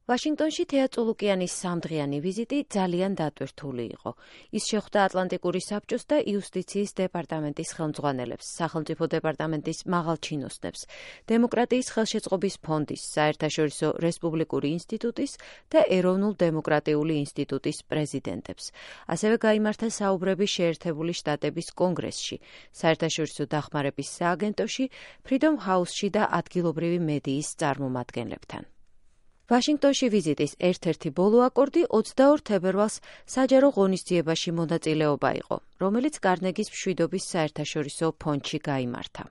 ვაშინგტონში თეა წულუკიანის სამდღიანი ვიზიტი ძალიან დატვირთული იყო. ის შეხვდა ატლანტიკური საბჭოს და იუსტიციის დეპარტამენტის ხელმძღვანელებს, სახელმწიფო დეპარტამენტის მაღალ ჩინოსნებს, დემოკრატიის ხელშეწყობის ფონდის, საერთაშორისო რესპუბლიკური ინსტიტუტის და ეროვნულ დემოკრატიული ინსტიტუტის პრეზიდენტებს. ასევე გაიმართა საუბრები შეერთებული შტატების კონგრესში, საერთაშორისო დახმარების სააგენტოში, ფრიდომ ჰაუსში და ადგილობრივი მედიის წარმომადგენლებთან. ვაშინგტონში ვიზიტის ერთ-ერთი ბოლო აკორდი 22 თებერვალს საჯარო ღონისძიებაში მონაწილეობა იყო, რომელიც კარნეგის მშვიდობის საერთაშორისო ფონდში გაიმართა.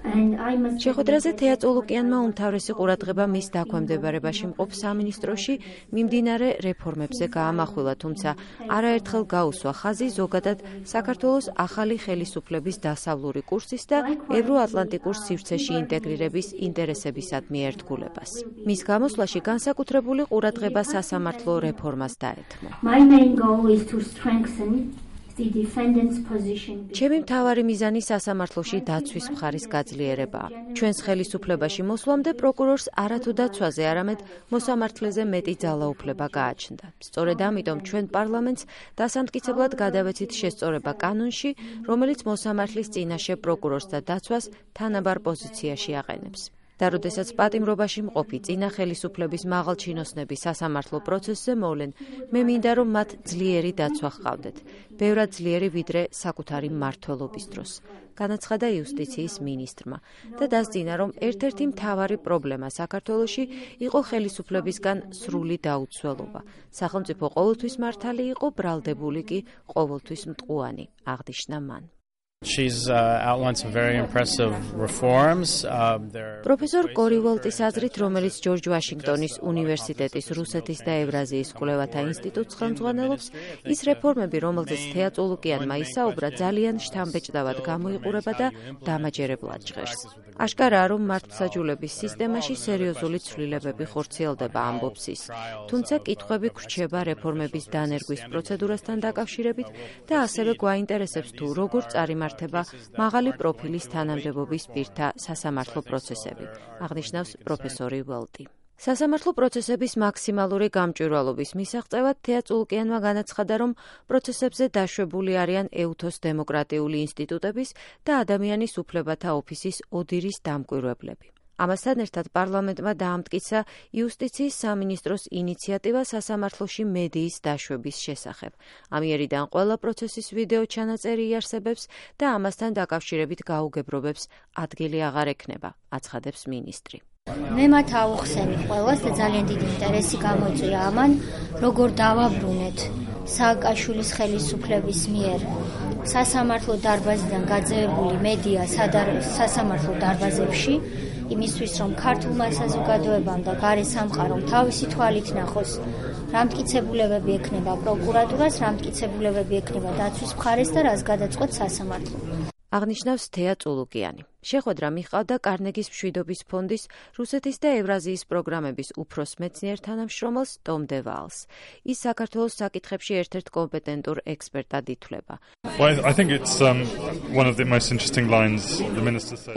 შეხვედრაზე თეა წულუკიანმა უმთავრესი ყურადღება მის დაქვემდებარებაში მყოფ სამინისტროში მიმდინარე რეფორმებზე გაამახვილა, თუმცა არაერთხელ გაუსვა ხაზი ზოგადად საქართველოს ახალი ხელისუფლების დასავლური კურსის და ევროატლანტიკურ სივრცეში ინტეგრირების ინტერესებისადმი ერთგულებას. მის გამოსვლაში განსაკუთრებული ყურადღება სასამართლო რეფორმას დაეთმო. ჩემი მთავარი მიზანი სასამართლოში დაცვის მხარის გაძლიერებაა. ჩვენს ხელისუფლებაში მოსვლამდე პროკურორს არათუ დაცვაზე, არამედ მოსამართლეზე მეტი ძალაუფლება გააჩნდა. სწორედ ამიტომ ჩვენ პარლამენტს დასამტკიცებლად გადავეცით შესწორება კანონში, რომელიც მოსამართლის წინაშე პროკურორს და დაცვას თანაბარ პოზიციაში აყენებს. და როდესაც პატიმრობაში მყოფი წინა ხელისუფლების მაღალჩინოსნები სასამართლო პროცესზე მოვლენ, მე მინდა რომ მათ ძლიერი დაცვა ჰყავდეთ, ბევრად ძლიერი ვიდრე საკუთარი მმართველობის დროს, განაცხადა იუსტიციის მინისტრმა და დასძინა, რომ ერთ-ერთი მთავარი პრობლემა საქართველოში იყო ხელისუფლებისგან სრული დაუცველობა. სახელმწიფო ყოველთვის მართალი იყო, ბრალდებული კი ყოველთვის მტყუანი, აღნიშნა მან. She's outlined some very impressive reforms. პროფესორ კორი ვოლტის აზრით, რომელიც ჯორჯ ვაშინგტონის უნივერსიტეტის რუსეთის და ევრაზიის კვლევათა ინსტიტუტს ხელმძღვანელობს, ის რეფორმები, რომელზეც თეა წულუკიანმა ისაუბრა, ძალიან შთამბეჭდავად გამოიყურება და დამაჯერებლად ჟღერს. აშკარაა, რომ მართლმსაჯულების სისტემაში სერიოზული ცვლილებები ხორციელდება, ამბობს ის. თუმცა კითხვები გრჩება რეფორმების დანერგვის პროცედურასთან დაკავშირებით და ასევე გვაინტერესებს თუ როგორ წარიმართება მაღალი პროფილის თანამდებობის პირთა სასამართლო პროცესები, აღნიშნავს პროფესორი ველტი. სასამართლო პროცესების მაქსიმალური გამჭვირვალობის მისაღწევად თეა წულუკიანმა განაცხადა, რომ პროცესებზე დაშვებული არიან ეუთოს დემოკრატიული ინსტიტუტების და ადამიანის უფლებათა ოფისის ოდირის დამკვირვებლები. ამასთან ერთად პარლამენტმა დაამტკიცა იუსტიციის სამინისტროს ინიციატივა სასამართლოში მედიის დაშვების შესახებ. ამიერიდან ყველა პროცესის ვიდეო ჩანაწერი იარსებებს და ამასთან დაკავშირებით გაუგებრობებს ადგილი აღარ ექნება, აცხადებს მინისტრი. მე მათ ავუხსენე ყველას და ძალიან დიდი ინტერესი გამოიწვია ამან, როგორ დავაბრუნეთ სააკაშვილის ხელისუფლების მიერ სასამართლო დარბაზიდან გაძევებული მედია სასამართლო დარბაზებში, იმისთვის, რომ ქართულმა საზოგადოებამ და გარე სამყარომ თავისი თვალით ნახოს, რა მტკიცებულებები ექნება პროკურატურას, რა მტკიცებულებები ექნება დაცვის მხარეს და რას გადაწყვეტ სასამართლო. აღნიშნავს თეა წულუკიანი. შეხვედრა მიჰყავდა კარნეგის მშვიდობის ფონდის რუსეთის და ევრაზიის პროგრამების უფროს მეცნიერ თანამშრომელს ტომ დე ვალს. ის საქართველოს საკითხებში ერთ-ერთ კომპეტენტურ ექსპერტად ითვლება.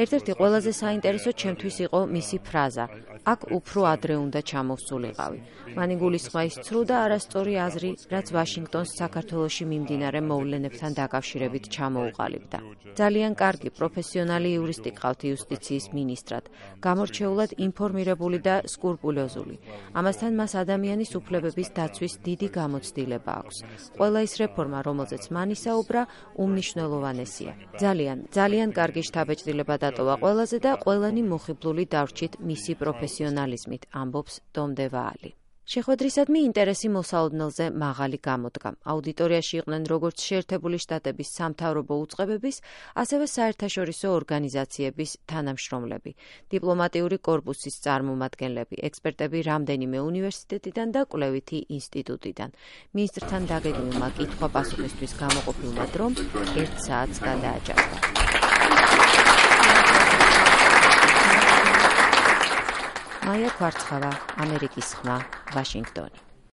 ერთ-ერთი ყველაზე საინტერესო ჩემთვის იყო მისი ფრაზა: აქ უფრო ადრე უნდა ჩამოვსულიყავი. მან იგულისხმა ის ცრუ და არასწორი აზრი, რაც ვაშინგტონს საქართველოში მიმდინარე მოვლენებთან დაკავშირებით ჩამოუყალიბდა. ძალიან კარგი პროფესიონალი იურისტი ყავთ იუსტიციის მინისტრად, გამორჩეულად ინფორმირებული და სკრუპულოზული. ამასთან მას ადამიანის უფლებების დაცვის დიდი გამოცდილება აქვს. ყველა ის რეფორმა, რომელზეც მან ისაუბრა, უმნიშვნელოვანესია. ძალიან კარგი შთაბეჭდილება დატოვა ყველაზე და ყველანი მოხიბლული დარჩით მისი პროფესიონალიზმით, ამბობს ტომ დე ვალი. შეხვედრისადმი ინტერესი მოსალოდნელზე მაღალი გამოდგა. აუდიტორიაში იყვნენ როგორც შეერთებული შტატების სამთავრობო უწყებების, ასევე საერთაშორისო ორგანიზაციების თანამშრომლები, დიპლომატიური კორპუსის წარმომადგენლები, ექსპერტები რამდენიმე უნივერსიტეტიდან და კვლევითი ინსტიტუტიდან. მინისტრთან დაგეგმილმა კითხვა-პასუხისთვის გამოყოფილმა დრომ 1 საათს გადააჭარბა. მაია ქვარცხავა, ამერიკის ხმა, ვაშინგტონი.